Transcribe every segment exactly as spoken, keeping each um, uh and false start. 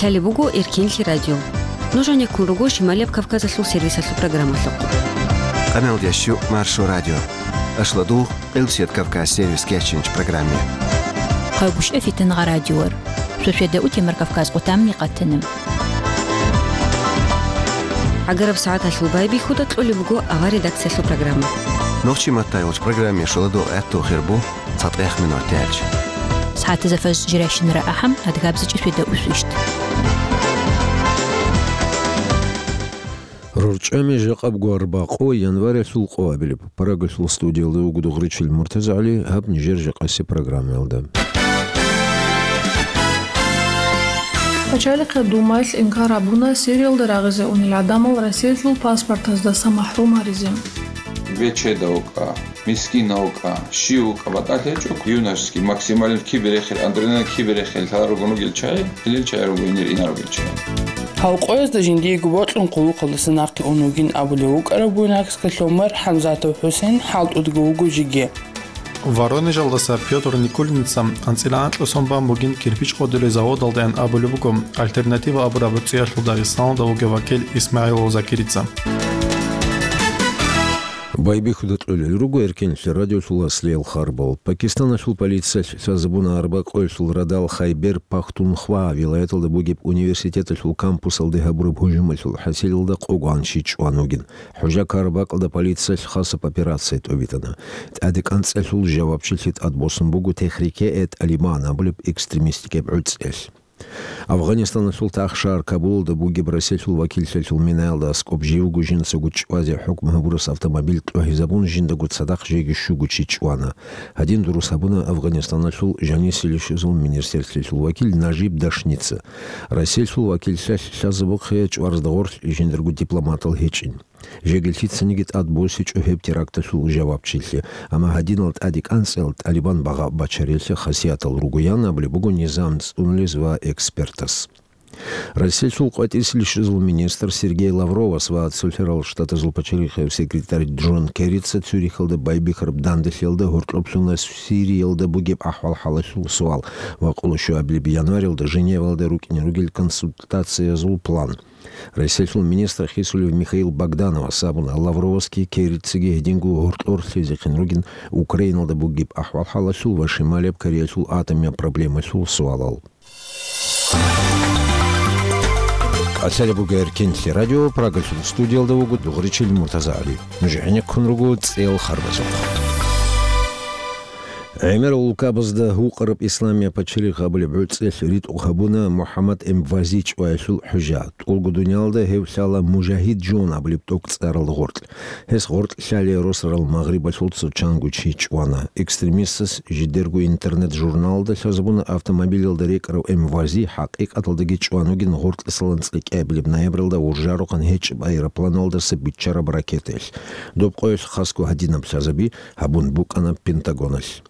Лъалеб буго Эркенлъи радио. Нуж гьанеккун руго Шималияб Кавказалъул сервисалъул программалъухъ. Къамел ящу Маршо радио. Ашладу Къилсият Кавказ сервис кечинч программе. Хъайгушев Фитнагъа радиор. Шошеда утемар Кавказ къутамни къатанам. Агараб сагӀаталъул байбихьуда кьолеб буго авар редакциялъул программа. Нохчи маттай уч программе шоладу гӀатту хирбу. ЦатӀех минут тӀелч. СагӀатазда фажр жирайщинара ахӀам, адгабзичӀи шведа усвищт. РорчӀами жакъаб гварбакъо январялъул къо абилеб. Парагалъул студиялда вуго Дугъричил МуртазагӀали, гьаб нижер жакъаси программаялда. Пачалихъе Думаялъ инкар гьабуна Сириялда рагъизе унел гӀадамал Россиялъул паспортаздаса махӀрум гьаризе. Бечеда вукӀа, мискина вукӀа, щив вукӀа, батӀалъи гьечӀо, юношеский, максимально киберехел, адреналин киберехел лъала ругун ругел чагӀи, гьелел чагӀи руго инер-инар ругел чагӀи. Гьав къоязда жиндиего бокьун къуллукъалдаса нахъе ун вугин абулев вукӀарав Буйнакскалъув мэр ХӀамзатов ХӀусен хӀалтӀудго вуго жеги. Воронежалдаса Пётр Никулинца анцӀила анкьа сон бан бугин кирпич къодулей заводалдаян абулеб буго «Альтернатива» абураб цӀиялъул Дагъистаналда вугев вакил ИсмагӀилов Закирица. Байбихьуда кьолел руго Эркенлъи радиолъул аслиял харбал. Пакистаналъул полициялъ лъазабуна арбакъоялъул радал Хайбер Пахтунхва вилаяталда бугеб университеталъул кампусалде гьабураб гьужумалъул хӀасилалда къогоан чи чӀван вугин. ХӀужа-Карабакъалда полициялъ хасаб операция тӀобитӀана. ТӀадекӀанцӀалъул жавабчилъи тӀадбосун буго Техрике-э-ТӀалибан абулеб экстремистикеб гӀуцӀиялъ. Афганистаналъул тахшар Кабулалда бугеб Россиялъул вакиллъалъул минаялда аскӀоб жив вуго жинцаго чӀвазе хӀукму гьабурас автомобиль тӀогьизабун жиндаго цадахъ жеги щуго чи чӀвана. Гьадин дурус гьабуна Афганистаналъул жанисилищизул министрлъиялъул вакил Нажиб Дашница. Россиялъул вакиллъалъ лъазабухъе чӀваразда гъорлъ жиндарго дипломатал гьечӀин. Жеги лъицаниги тӀад босичӀо гьеб теракталъул жавабчилъи, амма гьадинал тӀадекӀанцӀал ТӀалибан багъа бачариялъе хасиятал ругоян абулеб буго низам цӀунулез ва экспертас. Россиялъул къватӀисилищизул министр Сергей Лавровас ва Цолъарал Штатазул пачалихъев секретарь Джон Керрица Цюрихалда байбихьараб данделъиялда гьоркьоблъуна Сириялда бугеб ахӀвал-хӀалалъул суал ва къоло щуабилеб январилда Женевалда рукӀине ругел консультациязул план. Россиялъул министр хисулев Михаил Богдановас абуна, Лавровасги Керрицаги гьединго гьоркьор лъезехъин ругин Украиналда бугеб ахӀвал-хӀалалъул ва Шималияб Кореялъул атомияб проблемалъул суалал. КӀалъалеб буго Эркенлъи радио, Прагалъул студиялда вуго Дугъричил МуртазагӀали. Нуж гӀенеккун руго цӀел харбазухъ. ГӀемерал улкабазда гьукъараб Исламияб пачалихъ абулеб гӀуцӀелъ ритӀухъ гьабуна МухӀаммад Эмвази чӀваялъул хӀужа. ТӀолго дуниялда гьев лъала Мужагьид Джон абулеб тӀокӀцӀарал гъоркь. Гьес гъоркь лъалей росарал Магърибалъул цо чанго чи чӀвана. Экстремистас жидерго интернет-журналалда лъазабуна автомобилалда рекӀарав Эмвази хӀакъикъаталдаги чӀван вугин гъоркьисалан цӀикӀкӀабилеб ноябралда уржарухъан гьечӀеб аэропланалдаса биччараб ракетаялъ. Доб къоялъ хасго гьадинаб лъазаби гьабун букӀана Пентагоналъ.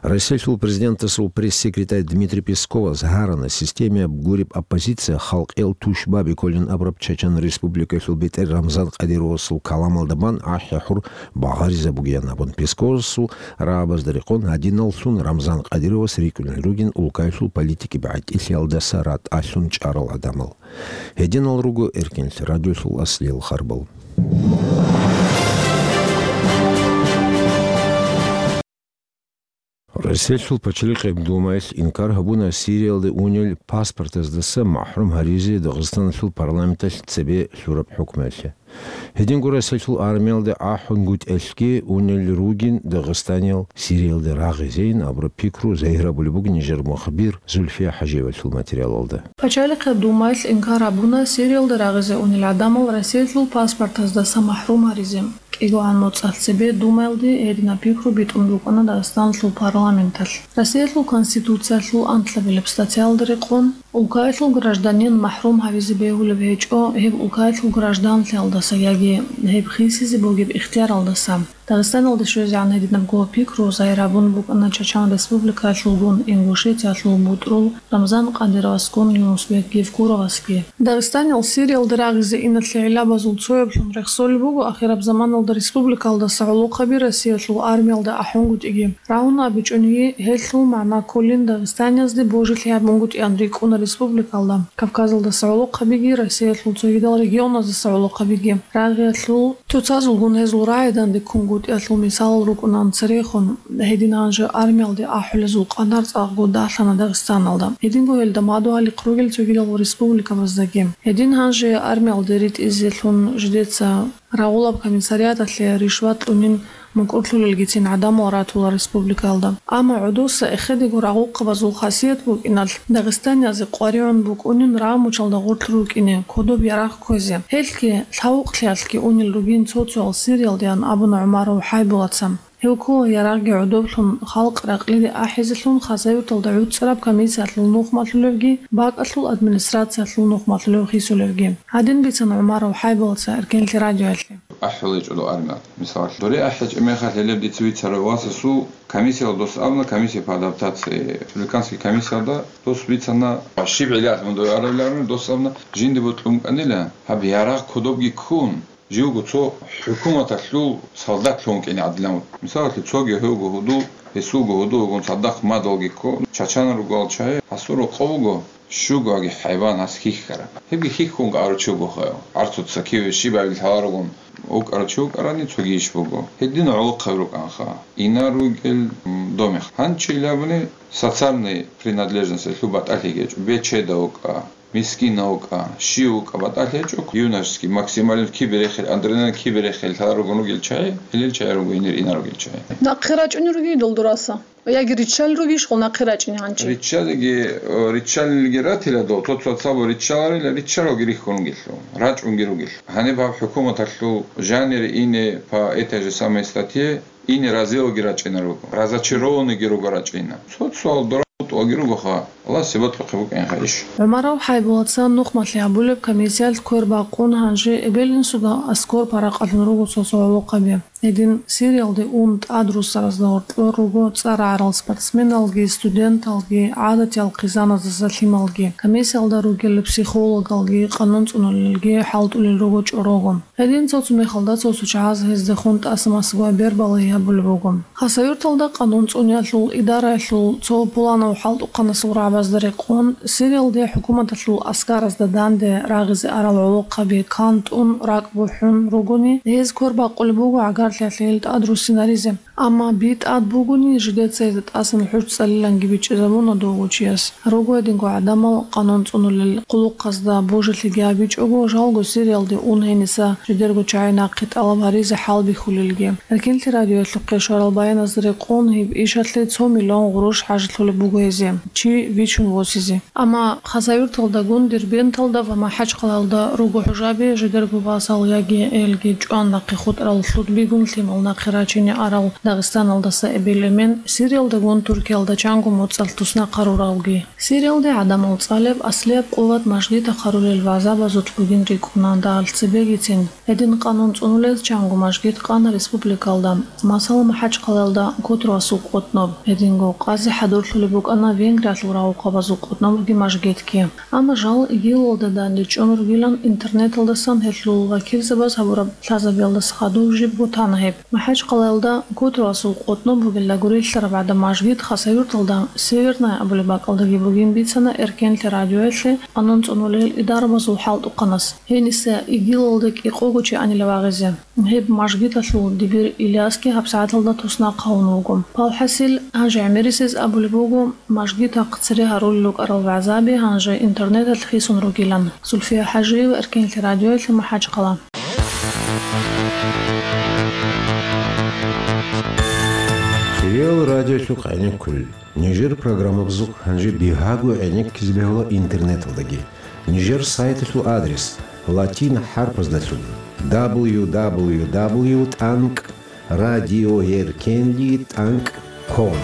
Россиялъул президентасул пресс-секретарь Дмитрий Песковас гьарана, системияб гуреб оппозиция халкъиял тушбаби кколин абураб Чачан Республикалъул бетӀер Рамзан Кадыровасул каламалда бан ахӀи-хӀур багъаризабугеян абун. Песковасул рагӀабазда рекъон гьадиналлъун Рамзан Кадыровас рикӀкӀунел ругин улкаялъул политикияб гӀатӀилъиялдаса ратӀалъун чӀарал гӀадамал. Гьединал руго Эркенлъи радиолъул аслиял харбал. Россиялъул пачалихъеб Думаялъ инкар гьабуна Сириялде унел паспортаздаса махӀрум гьаризе Дагъистаналъул парламенталъ цебе лъураб хӀукмуялъе. Гьединго Россиялъул армиялде ахӀунгутӀелъги унел ругин дагъистаниял Сириялде рагъизейин абураб пикру загьир гьабулеб буго нижер мухбир Зульфия ХӀажиевалъул материалалда. Пачалихъе Думаялъ инкар гьабуна Сириялда рагъизе унел гӀадамал Россиялъул паспортаздаса махӀрум гьаризе. КӀигогӀан моцӀалъ цебе Думаялде гьединаб пикру битӀун букӀана Дагъистаналъул парламенталъ. Россиялъул Конституциялъул анкьабилеб статьялда рекъон, улкаялъул гражданин махӀрум гьавизе бегьулеб гьечӀо гьеб улкаялъул гражданлъиялдаса яги гьеб хисизе бугеб ихтияралдаса. Дагъистаналде щвезегӀан гьединабго пикру загьир гьабун букӀана Чачан Республикаялъулгун Ингушетиялъул бутӀрул Рамзан Кадыровасгун Юнусбек Евкуровасги. Дагъистаниял Сириялда рагъизе иналъе гӀиллабазул цояблъун рехсолеб буго ахираб заманалда республикалдаса гӀолохъаби Россиялъул армиялда ахӀунгутӀиги. Рагьун абичӀониги, гьелъул магӀна кколин дагъистаниязде божилъи гьабунгутӀиан рикӀкӀуна. Республикалда, Кавказалдаса гӀолохъабиги, Россиялъул цогидал регионаздаса гӀолохъабиги, рагъиялъул цоцазулгун гьезул рагӀи дандеккунгутӀиялъул мисалал рукӀунан церехун, гьедин гьанже армиялде ахӀулезул къадар цӀакъго далъана Дагъистаналда. Гьединго гьелда мадугьалихъ ругел цогидал республикабаздаги. Гьедин гьанже армиялде ритӀизелъун жидеца рагъулаб комиссариаталъе ришват кьунин мукӀурлъулелгицин гӀадамал ратула республикалда. Амма гӀодоса эхедего рагъухъабазул хасият букӀиналъ, дагъистаниязе къваригӀун букӀунин рагъмучалда гъорлъ рукӀине, кодоб ярагъ кквезе. Гьелъги, лъавукълъиялъги унел ругин цо-цоял сериялдеян абуна ГӀумаров ХӀайбулаца. Гьев ккола ярагъги гӀодоблъун халкъ ракълиде ахӀизелъун Хасавюрталда гӀуцӀараб комиссиялъул нухмалъулевги, бакӀалъул администрациялъул нухмалъулев хисулевги. Гьадин бицана ГӀумаров ХӀайбулаца Эркенлъи радиоялъе. АхӀулечӀо дов армиялъ. Мисалалъ, доре ахӀичӀеб мехалъ гьелеб дица бицарав васасул комиссиял дос абуна, комиссия по адаптации, республиканский комиссиялда дос бицана, щиб гӀиллаялъ мун дов арабиларун, дос абуна, жинди бутӀун кӀанила, гьаб ярагъ кодобги ккун, живго цо хӀукуматалъул солдатлъун кӀине гӀадилан. Мисалалъе, цоги гьевго гьудул, гьесулго гьудул вугун цадахъ мадалги ккун, чачанал ругал чагӀи, гьасул рокъов вуго, щугоги хӀайван гьас хьихьараб. Гьебги хьихьунго аручи буго хаяв. Арцуца киве щибабил лъаларгун вукӀарав чи вукӀарани, цоги иш буго. Гьедин гӀолохъаби рукӀанха. Инар ругел, м, домех. Гьанчи илабуни социальный принадлежность лъу батӀалъи гьечӀо. Бечеда вукӀа. Мискин вукӀа, щив вукӀа, батӀалъи гьечӀо, юношеский, максимализм киберехел, адреналин киберехел лъаларгун ругел чагӀи, гьелел чагӀи руго инир инар ругел чагӀи. Нахъе рачӀунел ругидал дураса? Яги риччал ругищ хъул нахъе рачӀине гьанчи? Риччалиги, о, риччалилги ратила дов, тот вацабу риччаларила, риччалалги рихьун ругелъул, рачӀунги ругелъул. Гьаниб гьаб хӀукуматалъул жанир ине по этой же самой статье, ине разиялги рачӀина руго, разочарованныйги руго рачӀина. Цо-цо дора бутӀаги ругоха, Аллагьасе батӀухъе букӀинха иш. ГӀумаров ХӀайбулаца нухмалъи гьабулеб комиссиялъ квер бакъун гьанже эбел-инсуда аскор паракъалъун руго цо-цо гӀолохъаби. Гьедин Сириялде ун тӀад руссаразда гьоркьор руго цӀар гӀарал спортсменалги, студенталги, гӀадатиял хъизаназдаса лъималги. Комиссиялда ругел психологалги, къанун цӀунулелги хӀалтӀулел руго чӀорого. Гьедин цо-цо мехалда цо-цо чагӀаз гьездехун тӀаса-масагояб бербалай гьабулеб буго. Хасавюрталда къанун цӀуниялъул идараялъул цо пуланав хӀалтӀухъанасул рагӀабазда рекъон, Сириялде хӀукуматалъул аскаразда данде рагъизе арал гӀолохъаби кантӀун ракӀ бухӀун ругони, гьез квер бакъулеб буго гӀагарлъиялъе гьел тӀад руссинаризе. Амма би тӀад бугони, жидеца гьезда тӀасан хӀуж цӀалиланги бичӀчӀизабуна довго чияс. Руго гьединго гӀадамал къанун цӀунулел къулухъазда божилъиги гьабичӀого, жалго Сириялде ун гьениса жидерго чагӀи нахъе тӀалаб гьаризе хӀалбихьулелги. Эркенлъи радиоялъухъе щварал баяназда рекъон гьеб ишалъе цо миллион гъурущ хӀажалъулеб буго гьезие, чи вичун восизе. Амма Хасавюрталдагун Дербенталда ва МахӀачхъалаялда руго хӀужаби, жидерго васал яги элги чӀван нахъе хутӀарал лъудбигун лъимал нахъе рачине арал Дагъистаналдаса эбел-эмен, Сириялдагун Туркиялда чанго моцӀалъ туснахъ гьаруралги. Сириялде гӀадамал цӀалеб аслияб къуват мажгитахъ гьарулел вагӀзабазулъ бугин рикӀкӀуна дагьалъ цебегицин. Гьедин къанун цӀунулел чанго мажгит къана республикалда, масала, МахӀачхъалаялда Котравасул къотӀноб. Гьединго къази хӀадурлъулеб букӀана Венгриялъул рагъухъабазул къотӀнобги мажгитги. Амма жал ИГИЛалда данде чӀун ругилан интернеталдасан гьелъул вакилзабаз гьабураб лъазабиялдаса хадув жибго тана гьеб. МахӀачхъалаялда Котравасул къотӀноб бугелда гурелъараб гӀадаб мажгит Хасавюрталда Северная абулеб бакӀалдаги бугин бицана Эркенлъи радиоялъе къанун цӀунулел идарабазул хӀалтӀухъанас. Гьениса ИГИЛалда кӀикъого чи анила вагъизе. Гьеб мажгиталъул дибир Ильясги гьабсагӀаталда туснахъ гьавун вуго. Палхасил, гьанже гӀемерисез абулеб буго, мажгитахъ цере гьарулел рукӀарал вагӀзаби гьанже интернеталъ хисун ругилан. Зульфия ХӀажиева, Эркенлъи радиоялъе, МахӀачхъала. Хириял радиолъухъ гӀенеккулел. Нижер программабазухъ гьанже бигьаго гӀенеккизе бегьула интернеталдаги. Нижер сайталъул адрес латин хӀарпаздалъун: дабл ю дабл ю дабл ю тӀанкӀ радиоэркенли тӀанкӀ ком.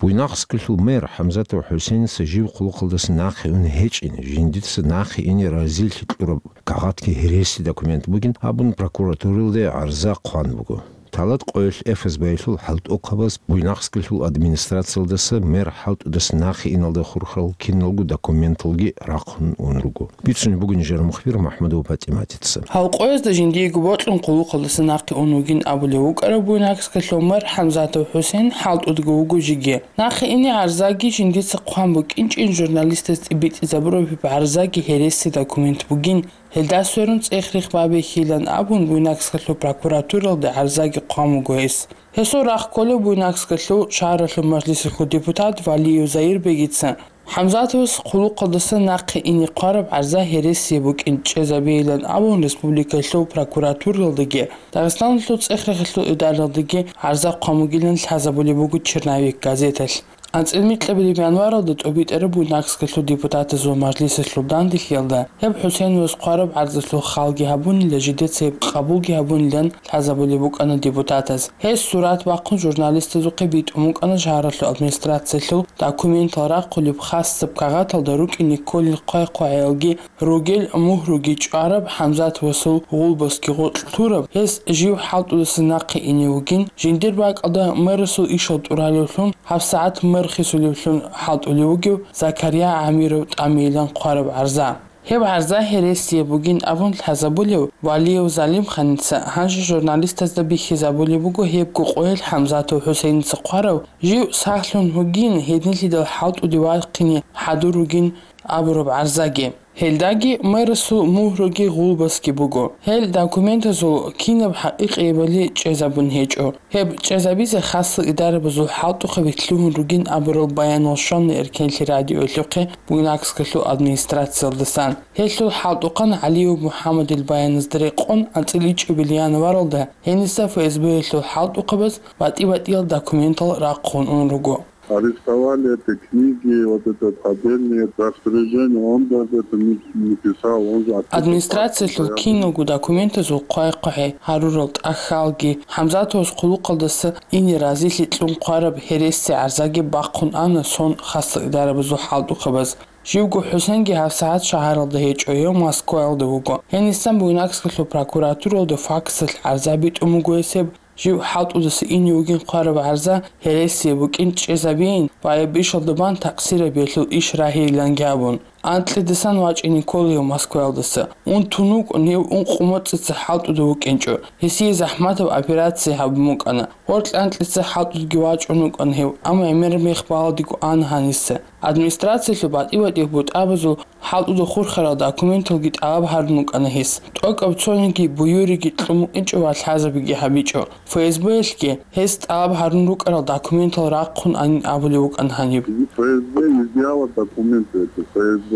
Буйнакскалъул мэр ХӀамзатов ХӀусейница жив хъулухъалдаса нахъе ун гьечӀин, жиндица нахъе ине разилъи кьураб кагъатги гьереси документ бугин абун прокуратуралде гӀарза хъван буго. Талат къоялъ ФСБ-ялъул хӀалтӀухъабаз Буйнакскалъул администрациялдаса мэр хӀалтӀудаса нахъе иналда хурхарал киналго документалги рахъун ун руго. Бицунеб буго нижер мухбир МахӀмудова ПатӀиматица. Гьал къоязда жиндиего бокьун къулухъалдаса нахъе ун вугин абулев вукӀарав Буйнакскалъул мэр ХӀамзатов ХӀусейн хӀалтӀудго вуго жеги. Нахъе ине гӀарзаги жиндица хъван букӀинчӀин журналистаз тӀибитӀизабураб гьеб гӀарзаги гьереси документ бугин. Гьелда сверун цӀех-рех бабихьилан абун, Буйнакскалъул прокуратуралда гӀарзаги хъван вуго гьес. Гьесул рахъ кколев Буйнакскалъул шагьаралъул мажлисалъул депутат Валиев Заирбегица ХӀамзатовас къулухъалдаса нахъе ине хъвараб гӀарза гьересие букӀин чӀезабейилан абун, республикалъул прокуратуралдаги Дагъистаналъул цӀех-рехалъул идаралдаги гӀарза хъван бугилан лъазабулеб буго «Черновик» газеталъ. АнцӀила микьабилеб январалда тӀобитӀараб Буйнакскалъул депутатазул мажлисалъул данделъиялда гьеб ХӀусейновас хъвараб гӀарзалъул халги гьабунила, жидеца гьеб къабулги гьабунилан лъазабулеб букӀана депутатаз. Гьес сурат бахъун журналистазухъе битӀун букӀана шагьаралъул администрациялъул документал рахъулеб хасаб кагъаталда рукӀине кколел хъвай-хъвагӀиялги ругел мугьруги чӀвараб, ХӀамзатовасул гъулбасги гъоркь лъураб, гьес жив хӀалтӀудаса нахъе ине вугин, жиндир бакӀалда мэрасул ишал тӀуралевлъун, гьабсагӀат мэр хисулевлъун хӀалтӀулев вугев Закария ГӀамиров тӀамейилан хъвараб гӀарза. Гьеб гӀарза гьересие бугин абун лъазабулев Валиев Залимханица гьанже журналистазда бихьизабулеб буго гьебго къоялъ ХӀамзатов ХӀусейница хъварав, жив сахлъун вугин, гьединлъидал хӀалтӀуде вахъине хӀадур ругин абураб гӀарзаги. Гьелдаги мэрасул мугьруги гъулбасги буго. Гьел документазул кинаб хӀакъикъиябали чӀезабун гьечӀо. Гьеб чӀезабизе хасал идарабазул хӀалтӀухъаби лъугьун ругин абурал баянал щвана Эркенлъи радиоялъухъе Буйнакскалъул администрациялдасан. Гьелъул хӀалтӀухъан ГӀалиев МухӀаммадил баяназда рекъон анцӀила ичӀабилеб январалда гьениса ФСБ-ялъул хӀалтӀухъабаз батӀи-батӀиял документал рахъун ун руго. Арестовали это книги, вот этот поддельный, это распоряжение, он даже это не, не писал, он же отписался. Администрациялъул киналго документазул хъвай-хъвагӀи гьарурал тӀахьалги, ХӀамзатовас къулухъалдаса ине разилъи кьун хъвараб гьереси гӀарзаги бахъун ана сон хасал идарабазул хӀалтӀухъабаз. Живго ХӀусенги гьабсагӀат шагьаралда гьечӀо, гьев Москваялда вуго. Гьенисан Буйнакскалъул прокуратуралда факсалъ гӀарза битӀун буго гьесеб. Жив хӀалтӀудаса ине вугин хъвараб гӀарза гьересие букӀин чӀезабейин ва гьеб ишалда бан такъсирабиялъул иш рагьейиланги абун. Анкьидасан вачӀине ккола гьев Москваялдаса. Ун тун вукӀун, гьев ункъо моцӀица хӀалтӀуда вукӀинчӀо. Гьесие захӀматаб операция гьабун букӀана. Гьоркье анкьица хӀалтӀудги вачӀун вукӀана гьев, амма гӀемер мех баладего ана гьаниса. Администрациялъул батӀи-батӀиял бутӀабазул хӀалтӀуда хурхарал документалги тӀалаб гьарун вукӀана гьес. ТӀокӀаб цониги буюриги кьун букӀинчӀо ва лъазабиги гьабичӀо. ФСБ-ялъги гьес тӀалаб гьарун рукӀарал документал рахъун анин абулев вукӀана гьаниб. ФСБ изъяла документы, это ФСБ.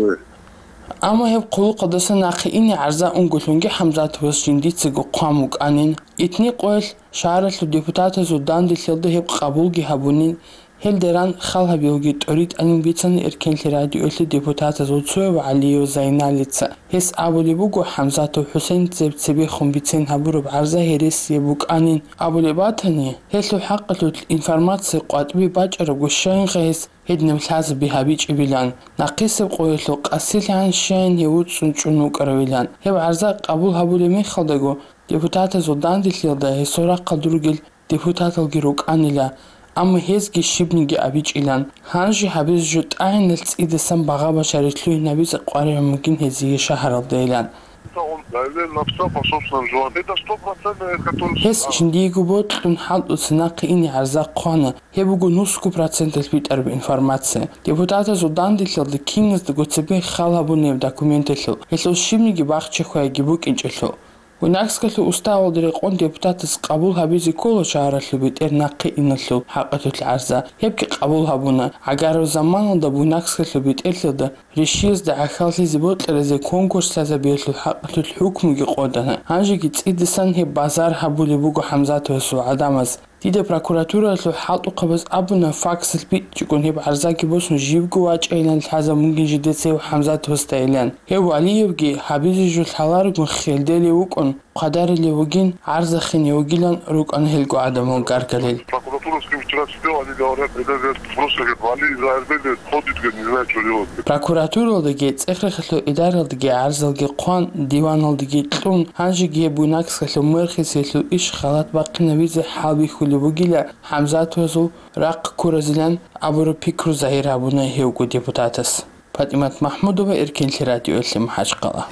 Амма гьеб къулухъалдаса нахъе ине гӀарза унголъунги ХӀамзатовас жиндицаго хъван вукӀанин. Итни къоялъ шагьаралъул депутатазул данделъиялда гьеб къабулги гьабунин. Гьелда ран хал гьабиялги тӀоритӀанин бицана Эркенлъи радиоялъе депутатазул цояв ГӀалиев Зайналица. Гьес абулеб буго, ХӀамзатов ХӀусейн цеб-цебехун бицен гьабураб гӀарза гьересияб букӀанин абулеб батани, гьелъул хӀакъалъулъ информация къватӀибе бачӀарабго щайинха гьес гьединаб лъазаби гьабичӀебилан, нахъисеб къоялъул къасилъан щайин гьев вуцӀцӀун чӀун вукӀаравилан. Гьеб гӀарза къабул гьабулеб мехалдаго депутатазул данделъиялда гьесул рахъалда ругел депутаталги рукӀанила, амма гьезги щибниги абичӀилан. Гьанже гьабизе жо тӀагӀиналъ цӀидасан багъа-башари лъугьинабизе къваригӀун бугин гьезие шагьаралдайилан. Он заявление написал по собственному желанию. Это стопроцентно, это который... Гьес жиндиего бокьун хӀалтӀуца нахъе ине гӀарза хъвана. Гьеб буго нусго проценталъ битӀараб информация. Депутатазул данделъиялда киназдаго цебе хал гьабунеб документалъул. Гьелъул щибниги бахчи-хвайги букӀинчӀелъул. Буйнакскалъул уставалда рекъон депутатас къабул гьабизе ккола шагьаралъул бетӀер нахъе иналъул хӀакъалъулъ гӀарза. Гьебги къабул гьабуна. ГӀагараб заманалда Буйнакскалъул бетӀерлъиялда ришиязда гӀахьаллъизе бокьаразе конкурс лъазабиялъул хӀакъалъулъ хӀукмуги къотӀана. Гьанжеги цӀидасан гьеб базар гьабулеб буго ХӀамзатовасул гӀадамаз. Дида прокуратуралъул хӀалтӀухъабаз абуна, факсалъ бичӀчӀигун гьеб гӀарзаги босун живго вачӀайилан лъазабун бугин жидецайив ХӀамзатовасдайилан. Гьев Валиевги гьабизе жо лъаларогун хелделев вукӀун, хъвадарилев вугин, гӀарзахине вугилан рукӀана гьелго гӀадамал гаргалел. По-русски вчера сидел, они говорят, это, говорят, просто, говорят, вали из Азербайджана, ходит, говорит, не знаю, что делать. Прокуратуралдаги, цӀехрехалъул идараялдаги гӀарзалги хъван, диваналдаги кьун, гьанжеги гьеб Буйнакскалъул мэрхиялъул иш халат бахъинавизе хӀалбихьулеб бугила ХӀамзатовазул рахъ ккуразилан абураб пикру загьир гьабуна гьевго депутатас. ПатӀимат МахӀмудова, Эркенлъи радиоялъе, МахӀачкъала.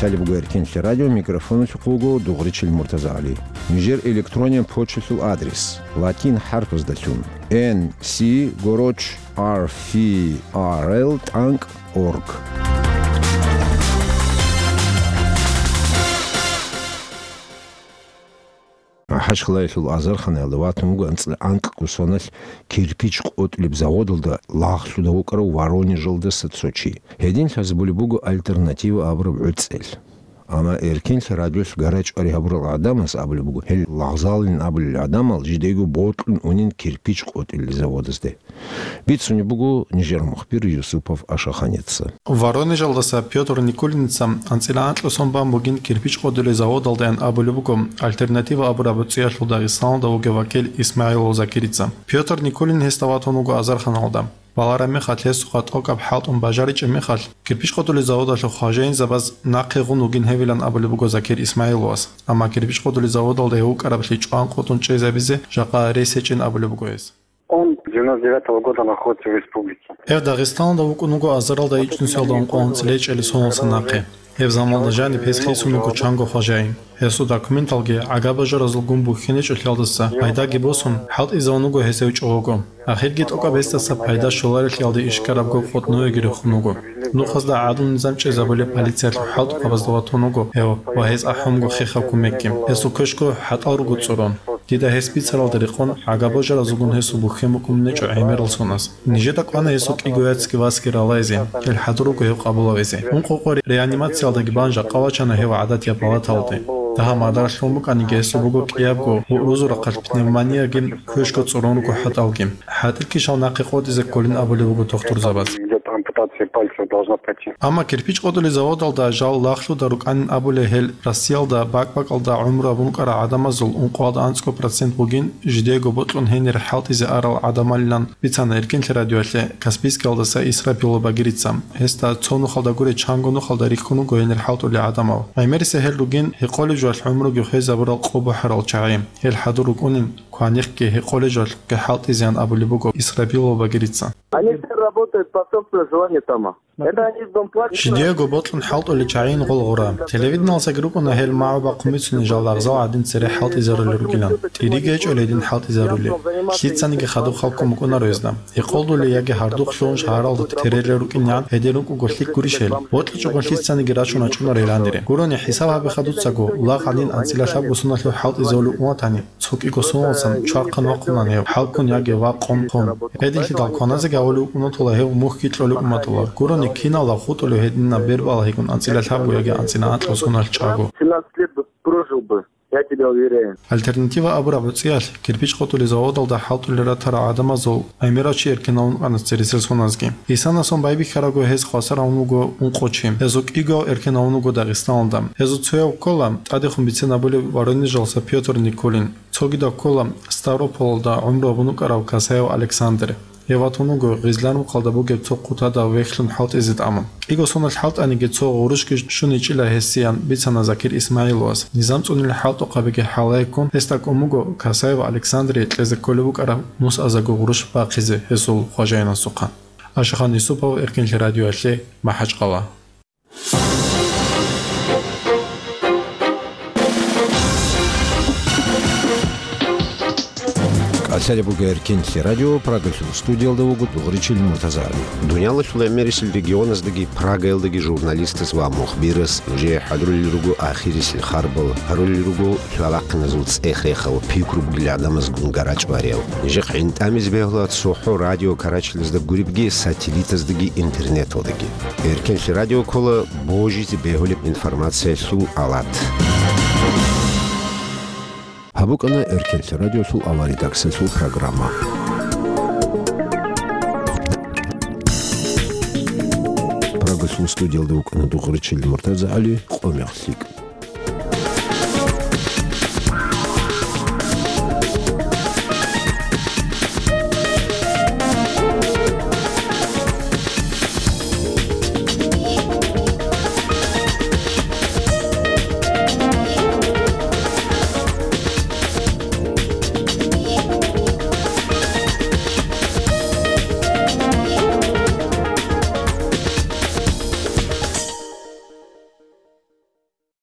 Лъалеб буго Эркенлъи радио, микрофоналъухъ вуго Дугъричил МуртазагӀали. Нижер электрониян почталъул адрес: латин хӀарпаздалъун, N C гороч R F R L тӀанкӀ org. МахӀачкъалаялъул азарханаялда ватун вуго анцӀила анкьго соналъ кирпич къотӀулеб заводалда лагълъуда вукӀарав Воронежалдаса цо чи. Гьедин лъазабулеб буго «Альтернатива» абураб гӀуцӀел. Амма Эркенлъи радиолъ гарачӀвари гьабурал гӀадамас абулеб буго, гьел лагъзалин абулел гӀадамал жидего бокьун унин кирпич къотӀулел заводазде. Бицунеб буго нижер мухбир Юсупов Ашаханица. Воронежалдаса Пётр Никулиница анцӀила анкьго сон бан бугин кирпич къотӀулел заводалдаян абулеб буго «Альтернатива» абураб гӀуцӀиялъул Дагъистаналда вугев вакил ИсмагӀилов Закирица. Пётр Никулин гьесда ватун вуго азарханалда. Балараб мехалъ гьесухъа тӀокӀаб хӀалтӀун бажаричӀеб мехалъ, кирпич къотӀулел заводалъул хважаинзабаз нахъе гъун вугин гьевилан абулеб буго Закир ИсмагӀиловас. Амма кирпич къотӀулел заводалда гьев вукӀараблъи чӀван къотӀун чӀезабизе жакъа рес гьечӀин абулеб буго гьес. Он с девяносто девятого года находится в республике. Гьев Дагъистаналда вукӀун вуго азаралда ичӀнусиялда ункъо анцӀила ичӀалил соналдаса нахъе. Гьеб заманалда жаниб гьес хисун вуго чанго хважаин. Гьесул документалги гӀага-бажаразулгун бухьинчӀолъиялдаса пайдаги босун, хӀалтӀизавун вуго гьес гьев чӀого. Ахирги тӀокӀаб гьесдаса пайда щоларелъиялде ишкарабго къотӀнуеги рехун вуго. Нухазда гӀадлу-низам чӀезабулеб полициялъул хӀалтӀухъабазда ватун вуго гьев ва гьез ахӀун вуго хехаб кумекги. Гьесул квешго хӀатӀал руго цӀурун. Дида гьес бицаралда рекъон, гӀага-бажаразулгун гьесул бухьен букӀунеб гьечӀо гӀемерал соназ. Нижеда кӀвана гьесул кӀиго яцги васги ралайзе, гьел хӀадур руго гьев къабулавизе. Ункъо къо реанимациялдаги бан жакъа вачана гьев гӀадатияб палаталде. Дагьаб мадар лъун букӀаниги гьесул буго кӀиябго, гьурузул рахъалъ пневмонияги, квешго цӀурун руго хӀатӀалги. ХӀатӀил кишал нахъе къотӀизе кколин абулеб буго тухтурзабаз. Идёт ампутация пальца, должна пройти. Амма кирпич къотӀулел заводалда жал лагълъуда рукӀанин абулей гьел Россиялда бакӀ-бакӀалда гӀумру гьабун рукӀарал гӀадамазул ункъоялда анцӀго процент бугин жидего бокьун гьенир хӀалтӀизе арал гӀадамалилан бицана Эркенлъи радиоялъе Каспийскиялдаса Исрапилов Багирица. Гьесда цо нухалда гурей чанго нухалда рихьун вуго гьенир хӀалтӀулел гӀадамал. ГӀемерисеб гьел ругин гьекъолеб жоялъ гӀумруги хвезабурал къо бухӀарал чагӀи. Гьел хӀадур рукӀунин кваникги гьекъолеб жоялъухъги хӀалтӀизеян абулеб буго Исрапилов Багирица. Они все работают по собственному желанию там. Это они с дом платят. Жидего бокьун хӀалтӀулел чагӀийин гъолгъура. Телевидениялдасаги рукӀуна гьел магӀу бахъун бицунел жал лагъзал гӀадин цере хӀалтӀизарулел ругилан. ТӀириги гьечӀо гьедин хӀалтӀизарулел. Лъицаниги хадуб халкун букӀунаро гьезда. Гьекъолдулей яги гьардухълъун шагьаралда терелел рукӀинегӀан гьедин рукӀуго лъикӀ гурищ гьел. БокьичӀого лъицаниги рачун рачӀунаро гьел гьанире. Гурони хӀисаб гьабе хадуцаго, лагъ гӀадин анцӀила лъабго соналъув хӀалтӀизавулев уматани, цо кӀиго соналдасан чвархъан вахъунани гьев, хӀалкун яги вакъун хъун. Гьединлъидал кваназеги гьавулев уматула гьев мухьги кьолев уматула. Гурони киналда хутӀулев гьединаб бербалагьигун анцӀила лъабго яги анцӀила анкьго соналъ чӀаго. Семнадцать лет бы прожил бы, я тебя уверяю. Альтернатива абураб гӀуцӀиялъ кирпич къотӀулел заводалда хӀалтӀулел ратарал гӀадамазул гӀемерав чи эркенавун вукӀана цересел соназги. Исанасон байбихьарабго гьез хвасар гьавун вуго ункъо чи. Гьезул кӀигояв эркенавун вуго Дагъистаналда. Гьезул цояв ккола тӀадехун бицен абулев Воронежалдаса Пётр Никулин. Цогидав ккола Ставрополалда гӀумру гьабун вукӀарав Касаев Александр. Гьев ватун вуго Гъизлан-Вукъалда бугеб цо хъутадав вехьлъун хӀалтӀизе тӀамун. КӀиго соналъ хӀалтӀаниги цо гъурущги щун гьечӀила гьесиян бицана Закир ИсмагӀиловас. Низам цӀунел хӀалтӀухъабиги хӀалаяккун гьесда кӀун буго Касаев Александрие кьезе кколеб букӀараб нусазего гъурущ бахъизе гьесул хважаинасухъа. Ашахан Юсупов, Эркенлъи радиоялъе, МахӀачкъала. КӀалъалеб буго Эркенлъи радио, Прагалъул студиялда вуго Дугъричил МуртазагӀали. Дуниялалъул гӀемерисел регионаздаги Прагаялдаги журналистас ва мухбирас нужее хӀадурулел руго ахирисел харбал, гьарулел руго лъалахъиназул цӀех-рехал, пикру бугел гӀадамазгун гарачӀ барияв. Нижехъ гӀинтӀамизе бегьула цохӀо радио карачелазда гуребги, сателлитаздаги интернеталдаги. Эркенлъи радио ккола божизе бегьулеб информациялъул алат. ГьабукӀана Эркенлъи радиолъул аваридаксалъул программа. Прагалъул студиялда вукӀана Дугъричил МуртазагӀали, къо мех лъикӀ.